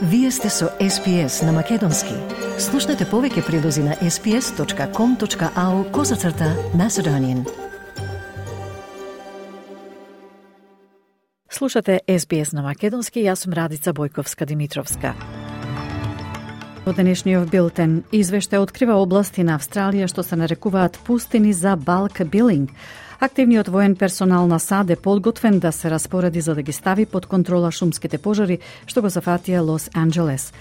Вие сте со SPS на Македонски. Слушнете повеќе прилози на sps.com.au/Macedonian. Слушате SBS на Македонски, јас сум Радица Бојковска-Димитровска. Во денешниот билтен извештај открива области на Австралија што се нарекуваат пустини за балк билинг. Активниот воен персонал на САД е подготвен да се распореди за да ги стави под контрола шумските пожари што го зафатија Лос Анџелес.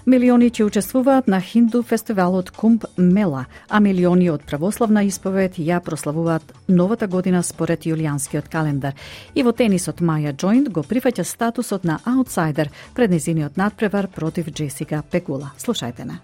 Милиони ќе учествуваат на хинду фестивалот Кумб Мела, а милиони од православна исповед ја прославуваат новата година според јулијанскиот календар. И во тенисот Маја Џоинт го прифаќа статусот на аутсайдер пред нејзиниот надпревар против Джесика Пегула. Слушајте на.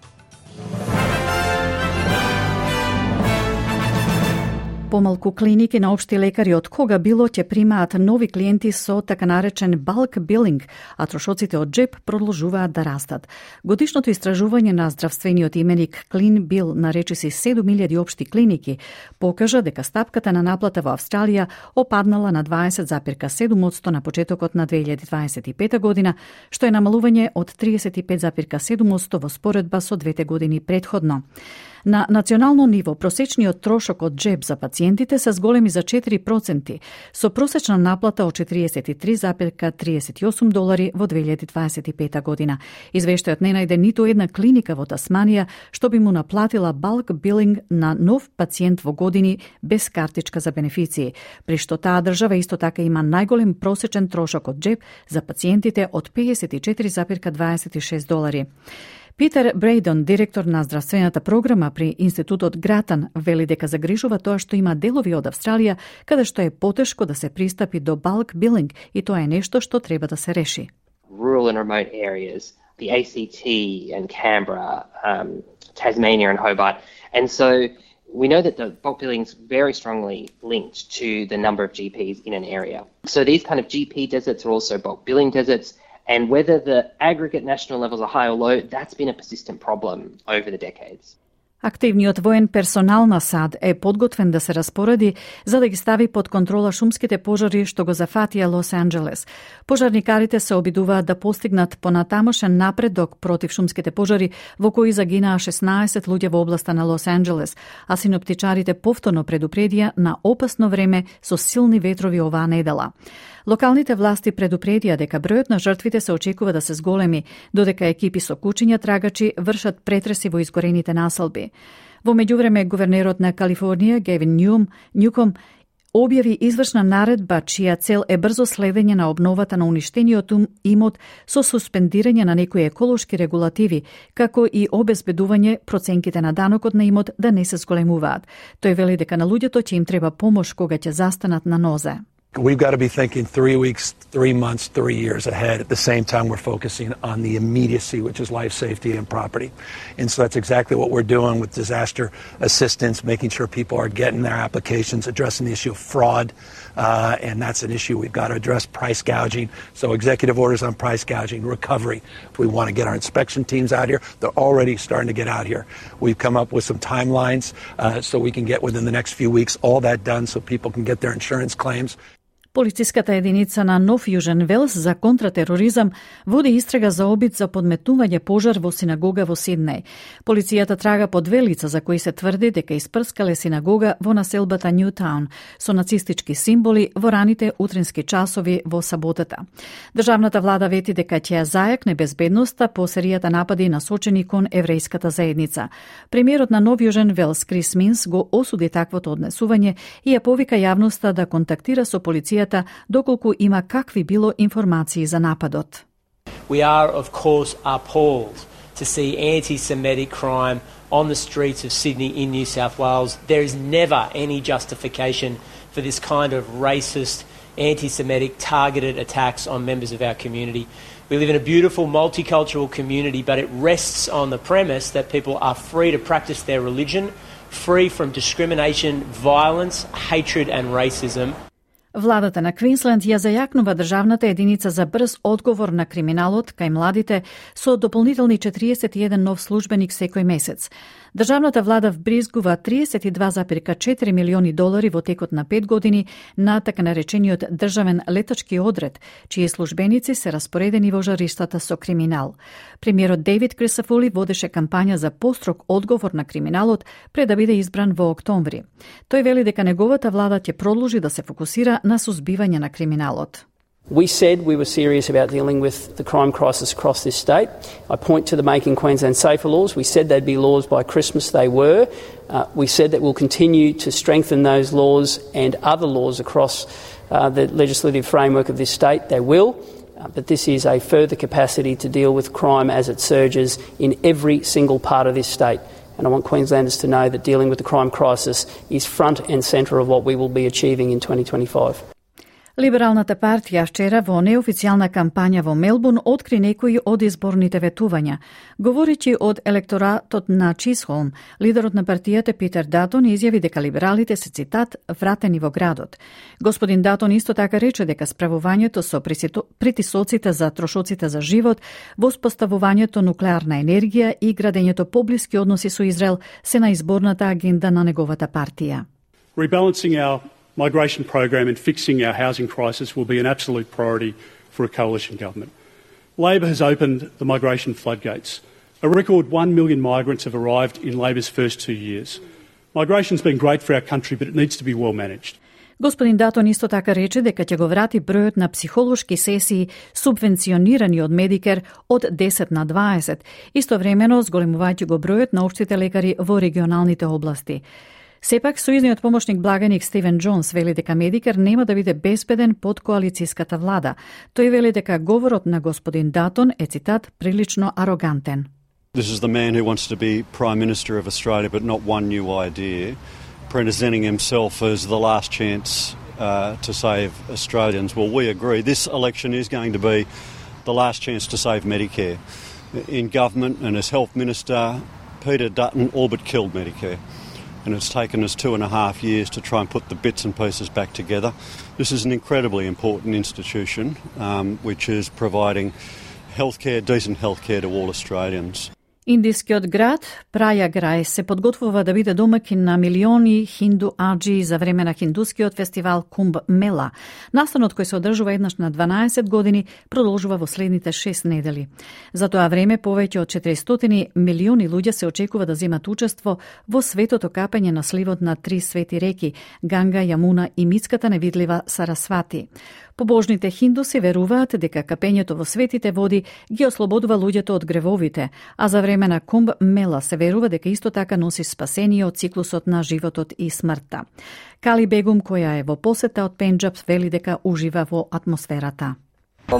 Помалку клиники на општи лекари од кога било ќе примаат нови клиенти со така наречен балк билинг, а трошоците од джеб продолжуваат да растат. Годишното истражување на здравствениот именик Клин Бил на речиси 7000 општи клиники покажа дека стапката на наплата во Австралија опаднала на 20,7% на почетокот на 2025 година, што е намалување од 35,7% во споредба со двете години претходно. На национално ниво, просечниот трошок од джеб за пациентите се зголеми за 4%, со просечна наплата од $43,38 во 2025 година. Извештајот не најде ниту една клиника во Тасманија што би му наплатила балк билинг на нов пациент во години без картичка за бенефиции, при што таа држава исто така има најголем просечен трошок од джеб за пациентите од $54,26. Питер Брейдон, директор на здравствената програма при Институтот Гратан, вели дека загрижува тоа што има делови од Австралија каде што е потешко да се пристапи до балк билинг и тоа е нешто што треба да се реши. Rural and remote areas, the ACT and Canberra, Tasmania and Hobart. And so we know that the bulk billing is very strongly linked to the number of GPs in an area. So these kind of GP deserts are also bulk billing deserts. And whether the aggregate national levels are high or low, that's been a persistent problem over the decades. Активниот воен персонал на САД е подготвен да се распореди за да ги стави под контрола шумските пожари што го зафатија Лос Анџелес. Пожарникарите се обидуваат да постигнат понатамошен напредок против шумските пожари во кои загинаа 16 луѓе во областа на Лос Анџелес, а синоптичарите повторно предупредија на опасно време со силни ветрови оваа недела. Локалните власти предупредија дека бројот на жртвите се очекува да се зголеми, додека екипи со кучиња трагачи вршат претреси во изгорените населби. Во меѓувреме, гувернерот на Калифорнија, Гевин Њуком, објави извршна наредба чија цел е брзо следење на обновата на уништениот имот со суспендирање на некои еколошки регулативи, како и обезбедување проценките на данокот на имот да не се зголемуваат. Тој вели дека на луѓето ќе им треба помош кога ќе застанат на нозе. We've got to be thinking 3 weeks, 3 months, 3 years ahead. At the same time, we're focusing on the immediacy, which is life safety and property. And so that's exactly what we're doing with disaster assistance, making sure people are getting their applications, addressing the issue of fraud. And that's an issue we've got to address, price gouging. So executive orders on price gouging, recovery. We want to get our inspection teams out here. They're already starting to get out here. We've come up with some timelines so we can get within the next few weeks all that done so people can get their insurance claims. Полициската единица на Нов Јужен Велс за контратероризам води истрага за обид за подметнување пожар во синагога во Сиднеј. Полицијата трага по две лица за кои се тврди дека испрскале синагога во населбата Ньютаун со нацистички символи во раните утрински часови во саботата. Државната влада вети дека ќе ја зајакне безбедноста по серијата напади насочени кон еврејската заедница. Премиерот на Нов Јужен Велс Крис Минс го осуди таквото однесување и ја повика јавноста да контактира со полицијата доколку има какви било информации за нападот. We are of course appalled to see anti-Semitic crime on the streets of Sydney in New South Wales. There is never any justification for this kind of racist, anti-Semitic targeted attacks on members of our community. We live in a beautiful multicultural community, but it rests on the premise that people are free to practice their religion, free from discrimination, violence, hatred and racism. Владата на Квинсленд ја зајакнува државната единица за брз одговор на криминалот кај младите со дополнителни 41 нов службеник секој месец. Државната влада вбризгува $32,4 милиони во текот на 5 години на така наречениот државен летачки одред, чии службеници се распоредени во жариштата со криминал. Премиерот Дейвид Крисафули водеше кампања за построг одговор на криминалот пред да биде избран во октомври. Тој вели дека неговата влада ќе продолжи да се фокусира на сузбивање на криминалот. We said we were serious about dealing with the crime crisis across this state. I point to the Making Queensland Safer laws. We said they'd be laws by Christmas. They were. We said that we'll continue to strengthen those laws and other laws across the legislative framework of this state. They will. But this is a further capacity to deal with crime as it surges in every single part of this state. And I want Queenslanders to know that dealing with the crime crisis is front and centre of what we will be achieving in 2025. Либералната партија вчера во неофицијална кампања во Мелбурн откри некои од изборните ветувања. Говоречи од електоратот на Чисхолм, лидерот на партијата Питер Датон изјави дека либералите се, цитат, вратени во градот. Господин Датон исто така рече дека справувањето со притисоците за трошоците за живот, воспоставувањето нуклеарна енергија и градењето поблиски односи со Израел се на изборната агенда на неговата партија. Rebalancing our migration program and fixing our housing crisis will be an absolute priority for a coalition government. Labor has opened the migration floodgates. A record 1 million migrants have arrived in Labor's first 2 years. Migration's been great for our country, but it needs to be well managed. Господин Датон исто така рече дека ќе го врати бројот на психолошки сесии субвенционирани од Медикер од 10 на 20, истовремено зголемувајќи го бројот на општите лекари во регионалните области. Сепак, сојузниот помошник благаник Стивен Джонс вели дека Медикер нема да биде безбеден под коалицијската влада. Тој вели дека говорот на господин Датон е, цитат, прилично арогантен. This is the man who wants to be Prime Minister of Australia but not one new idea, presenting himself as the last chance to save Australians. Well, we agree. This election is going to be the last chance to save Medicare. In government and as Health Minister, Peter Dutton all but killed Medicare. And it's taken us 2.5 years to try and put the bits and pieces back together. This is an incredibly important institution which is providing healthcare, decent healthcare to all Australians. Индискиот град Прајаграј се подготвува да биде домакин на милиони хинду аџи за време на хиндускиот фестивал Кумб Мела. Настанот кој се одржува еднаш на 12 години продолжува во следните 6 недели. За тоа време повеќе од 400 милиони луѓе се очекува да земат учество во светото капење на сливот на 3 свети реки Ганга, Јамуна и митската невидлива Сарасвати. Побожните хиндуси веруваат дека капењето во светите води ги ослободува луѓето од гревовите, а за време на Кумб Мела се верува дека исто така носи спасение од циклусот на животот и смртта. Кали Бегум, која е во посета од Пенџаб, вели дека ужива во атмосферата. A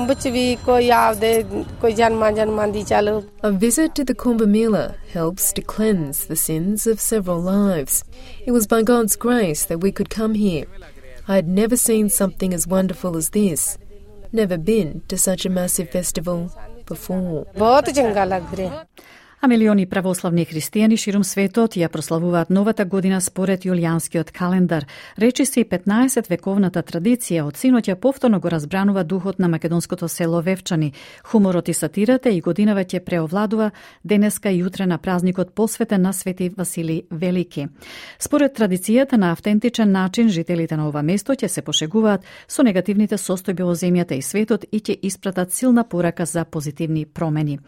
visit to the Kumbh Mela helps to cleanse the sins of several lives. It was by God's grace that we could come here. I had never seen something as wonderful as this. Never been to such a massive festival before. А милиони православни христијани ширум светот ја прославуваат новата година според јулијанскиот календар. Речиси 15 вековната традиција од синоќа повторно го разбранува духот на македонското село Вевчани. Хуморот и сатирата и годинава ќе преовладува денеска и утре на празникот посветен на Свети Василий Велики. Според традицијата на автентичен начин жителите на ова место ќе се пошегуваат со негативните состојби во земјата и светот и ќе испратат силна порака за позитивни промени.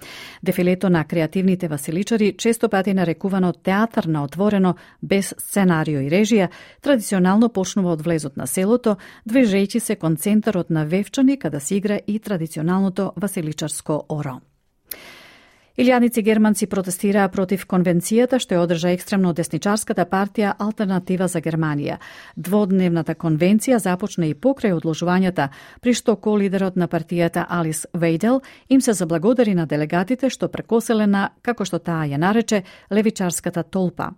Дефилето на креативни василичари, често пати нарекувано театар на отворено, без сценарио и режија, традиционално почнува од влезот на селото, движејќи се кон центарот на Вевчани, каде се игра и традиционалното василичарско оро. Илјадници германци протестираа против конвенцијата што ја одржа екстремно десничарската партија Алтернатива за Германија. Дводневната конвенција започна и покрај одложувањата, при што ко-лидерот на партијата Алис Вейдел им се заблагодари на делегатите што прекоселе на, како што таа ја нарече, левичарската толпа.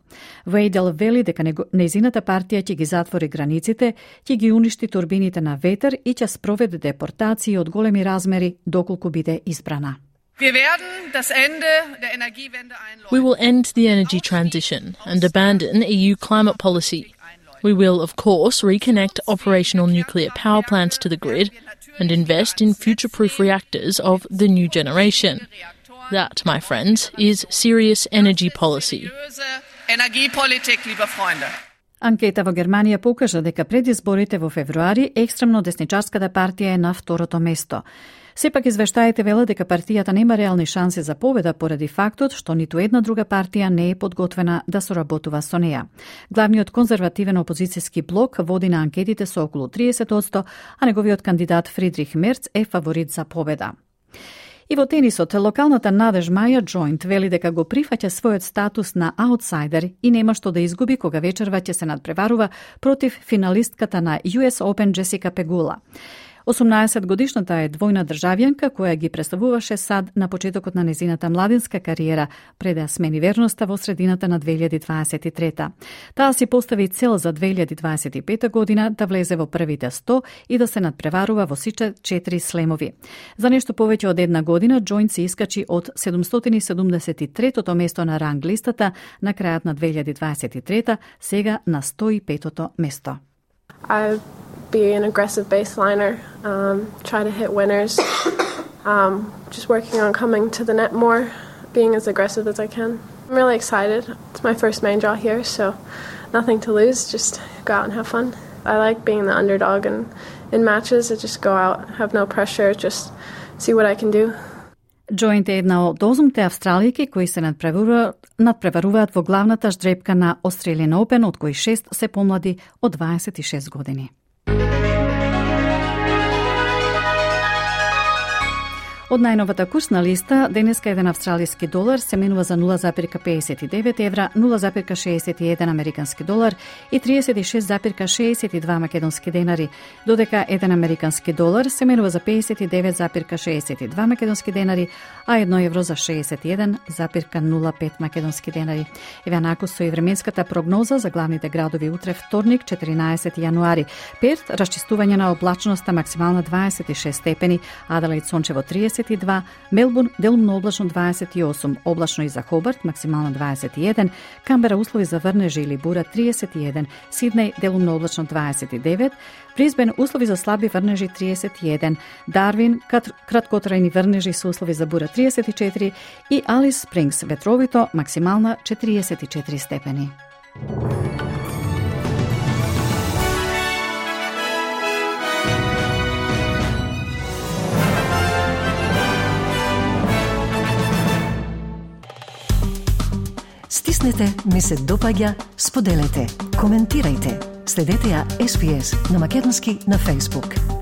Вейдел вели дека нејзината партија ќе ги затвори границите, ќе ги уништи турбините на ветер и ќе спроведе депортации од големи размери доколку биде избрана. We will end the energy transition and abandon EU climate policy. We will, of course, reconnect operational nuclear power plants to the grid and invest in future-proof reactors of the new generation. That, my friends, is serious energy policy. Анкета во Германија покажа дека пред изборите во февруари екстремно десничарската партија е на второто место. Сепак извештаите велат дека партијата нема реални шанси за победа поради фактот што ниту една друга партија не е подготвена да соработува со неа. Главниот конзервативен опозицијски блок води на анкетите со околу 30%, а неговиот кандидат Фридрих Мерц е фаворит за победа. И во тенисот, локалната надеж Маја Джойнт вели дека го прифаќа својот статус на аутсайдер и нема што да изгуби кога вечерва ќе се надпреварува против финалистката на US Open Джесика Пегула. 18-годишната е двојна државјанка која ги представуваше САД на почетокот на незината младинска кариера пред да смени верноста во средината на 2023. Таа си постави цел за 2025 година да влезе во првите 100 и да се надпреварува во сите 4 слемови. За нешто повеќе од една година Джойнт се искачи од 773-тото место на ранг листата на крајот на 2023, сега на 105-то место. Be an aggressive baseliner, try to hit winners, just working on coming to the net more, being as aggressive as I can. I'm really excited. It's my first main draw here, so nothing to lose, just go out and have fun. I like being the underdog, and in matches I just go out, have no pressure, just see what I can do. Джойнт е една од 8 австралијки кои се надпреваруваат во главната ждрепка на Australian Open, од кои 6 се помлади од 26 години. Од најновата курсна листа, денеска еден австралијски долар се менува за 0,59 евра, 0,61 американски долар и 36,62 македонски денари, додека еден американски долар се менува за 59,62 македонски денари, а 1 евро за 61,05 македонски денари. Еве накус со и временската прогноза за главните градови утре вторник, 14 јануари. Перт, расчистување на облачноста максимална 26 степени, Аделаид сончево 32, Мелбурн делумно облачно 28, облачно и за Хобарт максимална 21, Камбера услови за врнежи или бура 31, Сиднеј делумно облачно 29, Брисбен услови за слаби врнежи 31, Дарвин краткотрајни врнежи со услови за бура 34 и Алис Спрингс ветровито максимална 44 степени. Стиснете, ми се допаѓа, споделете, коментирајте. Следете ја SPS на Македонски на Facebook.